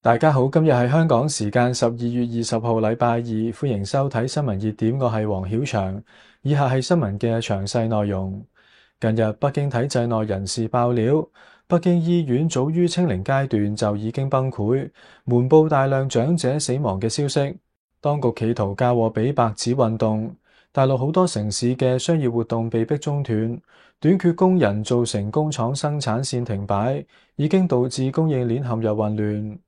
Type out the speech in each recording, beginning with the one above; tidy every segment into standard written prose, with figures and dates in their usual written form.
大家好，今日係香港時間12月20號，禮拜二，歡迎收睇新聞熱點，我係黃曉翔。以下係新聞嘅詳細內容。近日，北京體制內人士爆料，北京醫院早於清零階段就已經崩潰，瞞報大量長者死亡嘅消息。當局企圖嫁禍俾白紙運動，大陸好多城市嘅商業活動被迫中斷，短缺工人造成工廠生產線停擺，已經導致供應鏈陷入混亂。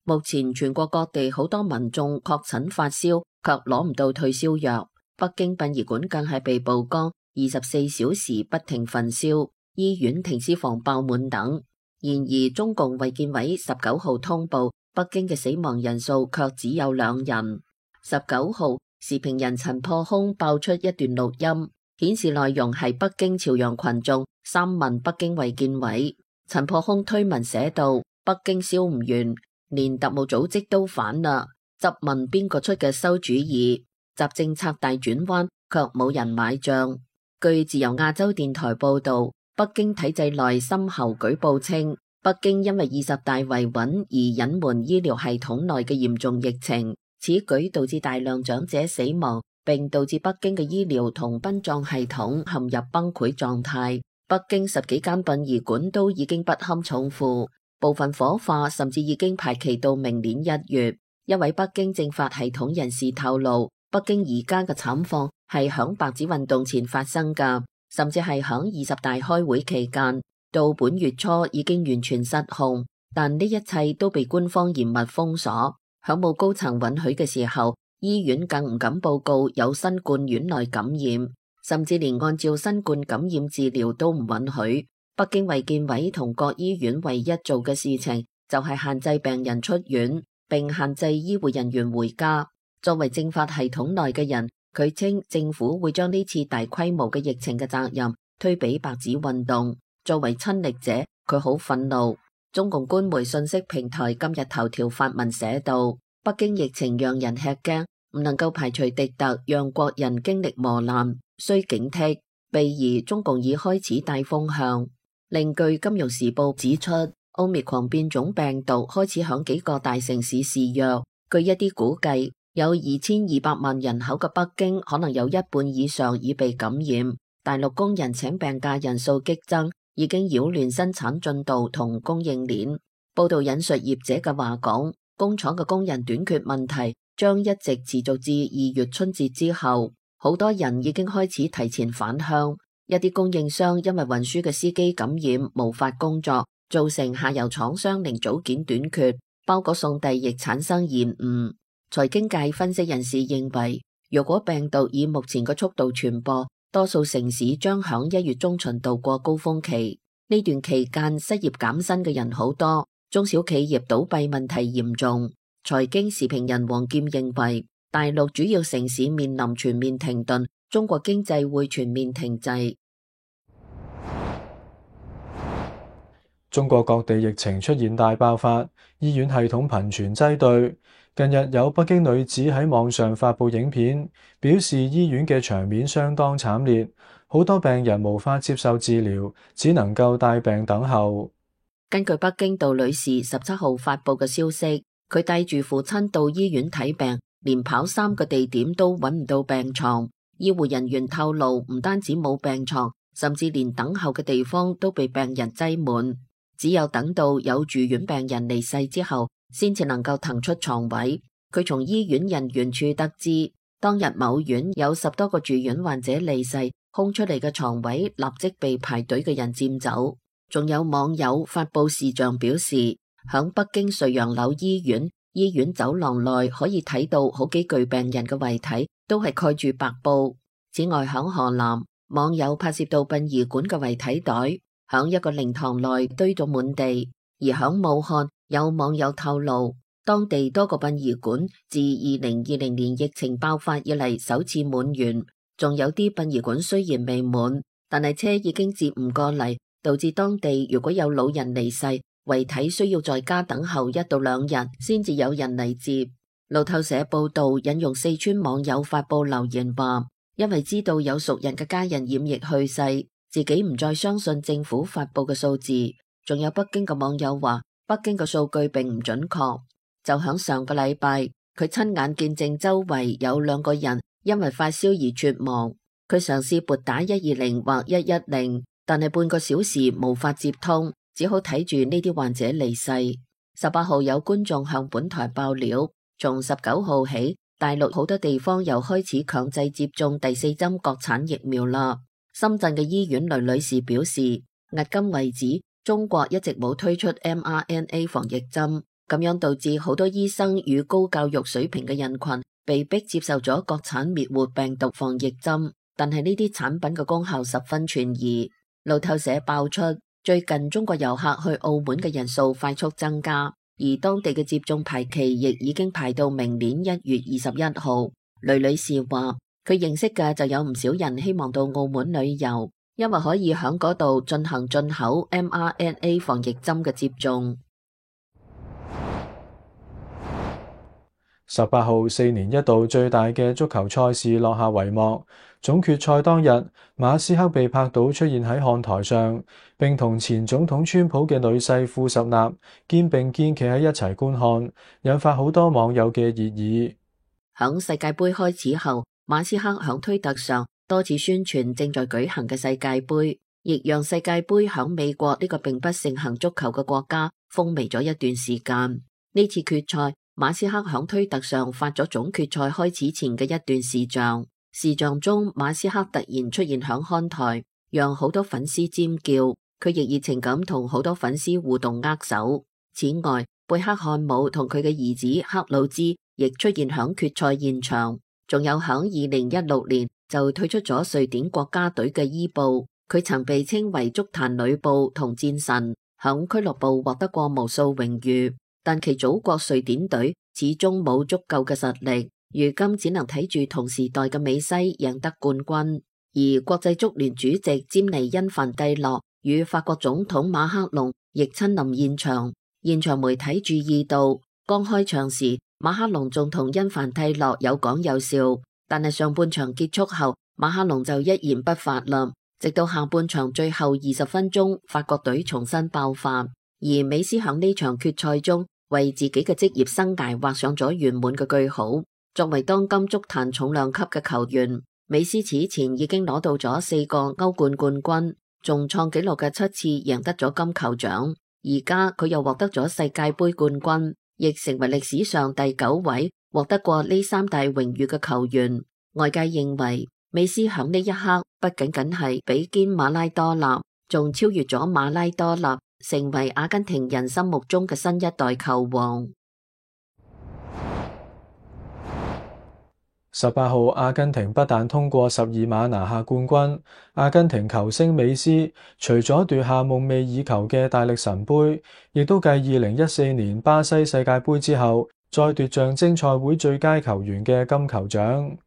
目前全國各地好多民眾確診發燒，卻攞唔到退燒藥。北京殯儀館更係被曝光24小時不停焚燒，醫院停屍房爆滿等。然而，中共衛健委19號通報，北京嘅死亡人數卻只有2人。19號，時評人陳破空爆出一段錄音，顯示內容係北京朝陽群眾3問北京衛健委。陳破空推文寫道：北京燒唔完，連特務組織都反啦，質問邊個出嘅餿主意，習政策大轉彎，卻冇人買賬。據自由亞洲電台報道，北京體制內深喉舉報稱，北京因為20大維穩而隱瞞醫療系統內嘅嚴重疫情，此舉導致大量長者死亡，並導致北京嘅醫療同殯葬系統陷入崩潰狀態。北京10幾間殯儀館都已經不堪重負。部分火化甚至已經排期到明年1月。一位北京政法系統人士透露，北京而家嘅慘況係響白紙運動前發生㗎，甚至係響20大開會期間，到本月初已經完全失控。但呢一切都被官方嚴密封鎖。響冇高層允許嘅時候，醫院更唔敢報告有新冠院內感染，甚至連按照新冠感染治療都唔允許。北京衛健委同各醫院唯一做嘅事情就係限制病人出院，並限制醫護人員回家。作為政法系統內嘅人，佢稱政府會將呢次大規模嘅疫情嘅責任推俾白紙運動。作為親歷者，佢好憤怒。中共官媒信息平台今日頭條發文寫道：北京疫情讓人吃驚，唔能夠排除敵特讓國人經歷磨難，需警惕。備而中共已開始帶風向。另據《金融時報》指出，奧密克戎變種病毒開始響幾個大城市肆虐。據一啲估計，有2200萬人口嘅北京，可能有一半以上已被感染。大陸工人請病假人數激增，已經擾亂生產進度同供應鏈。報道引述業者嘅話講，工廠嘅工人短缺問題將一直持續至2月春節之後。好多人已經開始提前返鄉。一啲供應商因為運輸嘅司機感染無法工作，造成下游廠商零組件短缺，包裹送遞亦產生延誤。財經界分析人士認為，如果病毒以目前嘅速度傳播，多數城市將響1月中旬度過高峰期。呢段期間失業減薪嘅人好多，中小企業倒閉問題嚴重。財經時評人王劍認為，大陸主要城市面臨全面停頓，中國經濟會全面停滯。中國各地疫情出現大爆發，醫院系統頻傳擠兌。近日有北京女子喺網上發布影片，表示醫院嘅場面相當慘烈，好多病人無法接受治療，只能夠帶病等候。根據北京杜女士17號發布嘅消息，佢帶住父親到醫院睇病，連跑3個地點都揾唔到病床。醫護人員透露，唔單止冇病床，甚至連等候嘅地方都被病人擠滿。只有等到有住院病人離世之後，先至能夠騰出床位。佢從醫院人員處得知，當日某院有10多個住院患者離世，空出嚟嘅床位立即被排隊嘅人佔走。仲有網友發布視像表示，響北京瑞陽樓醫院走廊內可以睇到好幾具病人嘅遺體都係蓋住白布。此外，響河南，網友拍攝到殯儀館嘅遺體袋響一個靈堂內堆到滿地。而響武漢，有網友透露，當地多個殯儀館自2020年疫情爆發以嚟首次滿員，仲有啲殯儀館雖然未滿，但係車已經接唔過嚟，導致當地如果有老人離世，遺體需要在家等候1到2日先至有人嚟接。路透社報道引用四川網友發布留言話，因為知道有熟人嘅家人染疫去世，自己唔再相信政府發布嘅數字。仲有北京嘅網友話，北京嘅數據並唔準確。就響上個禮拜，佢親眼見證周圍有2個人因為發燒而猝亡。佢嘗試撥打120或110，但係半個小時無法接通，只好睇住呢啲患者離世。18號有觀眾向本台爆料，從19號起，大陸好多地方又開始強制接種第4針國產疫苗啦。深圳嘅醫院雷女士表示，迄今為止，中國一直冇推出 mRNA 防疫針，咁樣導致好多醫生與高教育水平嘅人群被迫接受咗國產滅活病毒防疫針。但係呢啲產品嘅功效十分存疑。路透社爆出，最近中國遊客去澳門嘅人數快速增加，而當地嘅接種排期亦已經排到明年1月21號。雷女士話，佢認識嘅就有唔少人希望到澳門旅遊，因為可以響嗰度進行進口 mRNA 防疫針嘅接種。18號4年一度最大嘅足球賽事落下帷幕。總決賽當日，馬斯克被拍到出現喺看台上，並同前總統川普嘅女婿庫什納肩並肩企喺一齊觀看，引發好多網友嘅熱議。響世界盃開始後，馬斯克響推特上多次宣傳正在舉行嘅世界盃，亦讓世界盃響美國呢個並不盛行足球嘅國家風靡咗一段時間。呢次決賽，馬斯克響推特上發咗總決賽開始前嘅一段視像。視像中，馬斯克突然出現響看台，讓好多粉絲尖叫。佢亦熱情咁同好多粉絲互動握手。此外，貝克漢姆同佢嘅兒子克魯茲亦出現響決賽現場。仲有響2016年就退出咗瑞典國家隊嘅伊布，佢曾被稱為足壇呂布同戰神，響俱樂部獲得過無數榮譽，但其祖國瑞典隊始終冇足夠嘅實力。如今只能睇住同時代嘅美西贏得冠軍，而國際足聯主席詹尼恩范蒂諾與法國總統馬克龍亦親臨現場。現場媒體注意到，剛開場時馬克龍仲同恩范蒂諾有講有笑，但係上半場結束後，馬克龍就一言不發啦。直到下半場最後20分鐘，法國隊重新爆發，而美斯響呢場決賽中為自己嘅職業生涯畫上咗圓滿嘅句號。作為當今足壇重量級嘅球員，美斯此前已經攞到咗4個歐冠冠軍，仲創紀錄嘅7次贏得咗金球獎。而家佢又獲得咗世界盃冠軍，亦成為歷史上第9位獲得過呢3大榮譽嘅球員。外界認為，美斯響呢一刻不僅僅係比肩馬拉多納，仲超越咗馬拉多納，成為阿根廷人心目中嘅新一代球王。18號，阿根廷不但通過12碼拿下冠軍，阿根廷球星美斯除咗奪下夢寐以求嘅大力神杯，亦都繼2014年巴西世界盃之後，再奪象徵賽會最佳球員嘅金球獎。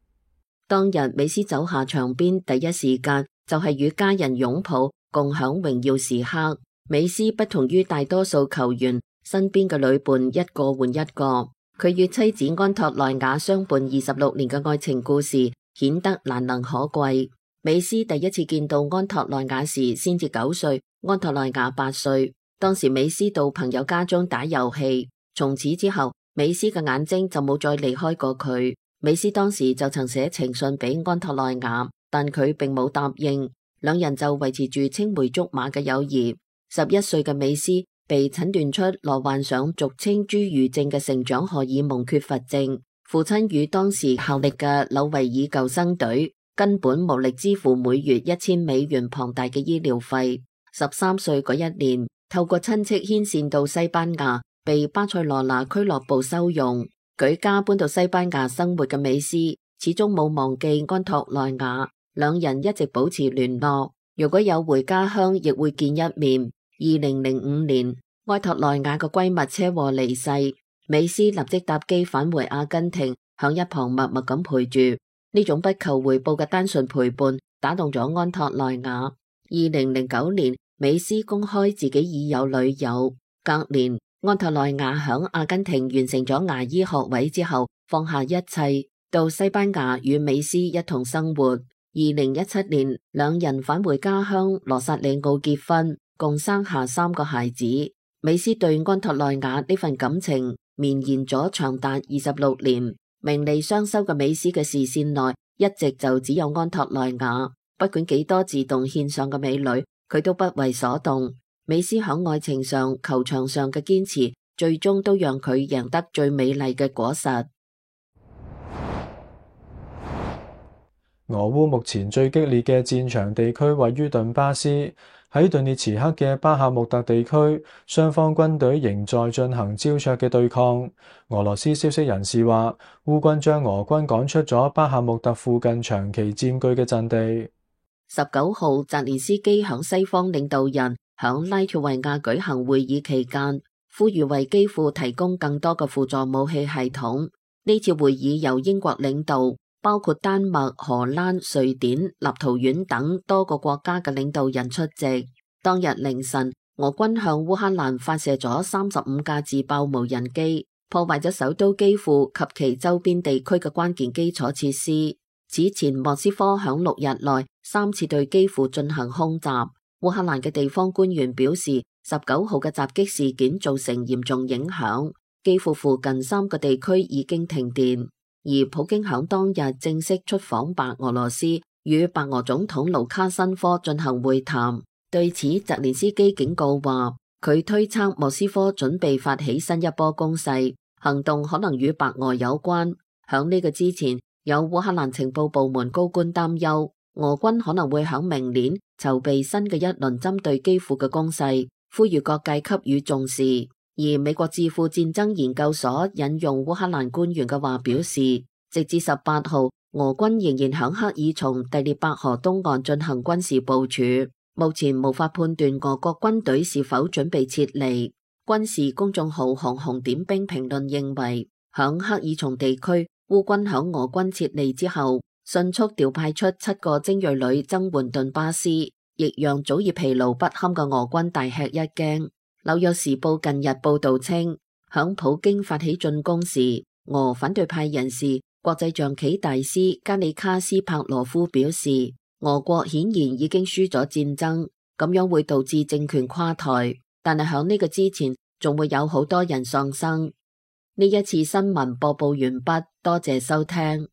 當日美斯走下場邊，第一時間就係與家人擁抱，共享榮耀時刻。美斯不同於大多數球員，身邊嘅女伴一個換一個。佢與妻子安托內亞相伴26年嘅愛情故事顯得難能可貴。美斯第一次見到安托內亞時先至9歲，安托內亞8歲。當時美斯到朋友家中打遊戲，從此之後美斯嘅眼睛就冇再離開過佢。美斯當時就曾寫情信俾安托內亞，但佢並冇答應，兩人就維持住青梅竹馬嘅友誼。11歲嘅美斯被診斷出罹患上俗稱侏儒症嘅成長荷爾蒙缺乏症，父親與當時效力嘅紐維爾救生隊根本無力支付每月$1000龐大嘅醫療費。13歲嗰一年，透過親戚牽線到西班牙，被巴塞羅那俱樂部收容。舉家搬到西班牙生活嘅美斯，始終冇忘記安托內亞，兩人一直保持聯絡。如果有回家鄉，亦會見一面。2005年，安托內亞嘅閨蜜車禍離世，美斯立即搭機返回阿根廷，響一旁默默咁陪住。呢種不求回報嘅單純陪伴，打動咗安托內亞。2009年，美斯公開自己已有女友。隔年，安托內亞響阿根廷完成咗牙醫學位之後，放下一切，到西班牙與美斯一同生活。2017年，兩人返回家鄉羅薩里奧結婚，共生下3個孩子。美斯對安托內瓦呢份感情綿延咗長達26年，名利雙收嘅美斯嘅視線內一直就只有安托內瓦，不管幾多自動獻上嘅美女，佢都不為所動。美斯響愛情上、球場上嘅堅持，最終都讓佢贏得最美麗嘅果實。俄烏目前最激烈嘅戰場地區位於頓巴斯，喺頓涅茨克嘅巴赫穆特地區，雙方軍隊仍在進行膠着嘅對抗。俄羅斯消息人士話，烏軍將俄軍趕出咗巴赫穆特附近長期佔據嘅陣地。19號，澤連斯基響西方領導人響拉脫維亞舉行會議期間，呼籲為基輔提供更多嘅輔助武器系統。呢次會議由英國領導，包括丹麥、荷蘭、瑞典、立陶宛等多個國家嘅領導人出席。當日凌晨，俄軍向烏克蘭發射咗35架自爆無人機，破壞咗首都基輔及其周邊地區嘅關鍵基礎設施。此前，莫斯科響6日內3次對基輔進行空襲。烏克蘭嘅地方官員表示，19號嘅襲擊事件造成嚴重影響，基輔附近3個地區已經停電。而普京響當日正式出訪白俄羅斯，與白俄總統盧卡申科進行會談。對此，澤連斯基警告話，佢推測莫斯科準備發起新一波攻勢，行動可能與白俄有關。響呢個之前，有烏克蘭情報部門高官擔憂，俄軍可能會響明年籌備新嘅一輪針對基輔嘅攻勢，呼籲各界給予重視。而美國智庫戰爭研究所引用烏克蘭官員嘅話表示，直至18號，俄軍仍然響克爾松第聶伯河東岸進行軍事部署，目前無法判斷俄國軍隊是否準備撤離。軍事公眾號航紅點兵評論認為，響克爾松地區，烏軍響俄軍撤離之後，迅速調派出7個精銳旅增援頓巴斯，亦讓早已疲勞不堪嘅俄軍大吃一驚。紐約時報近日報道稱，響普京發起進攻時，俄反對派人士、國際象棋大師加里卡斯帕羅夫表示，俄國顯然已經輸咗戰爭，咁樣會導致政權垮台。但係響呢個之前，仲會有好多人喪生。呢一次新聞播報完畢，多謝收聽。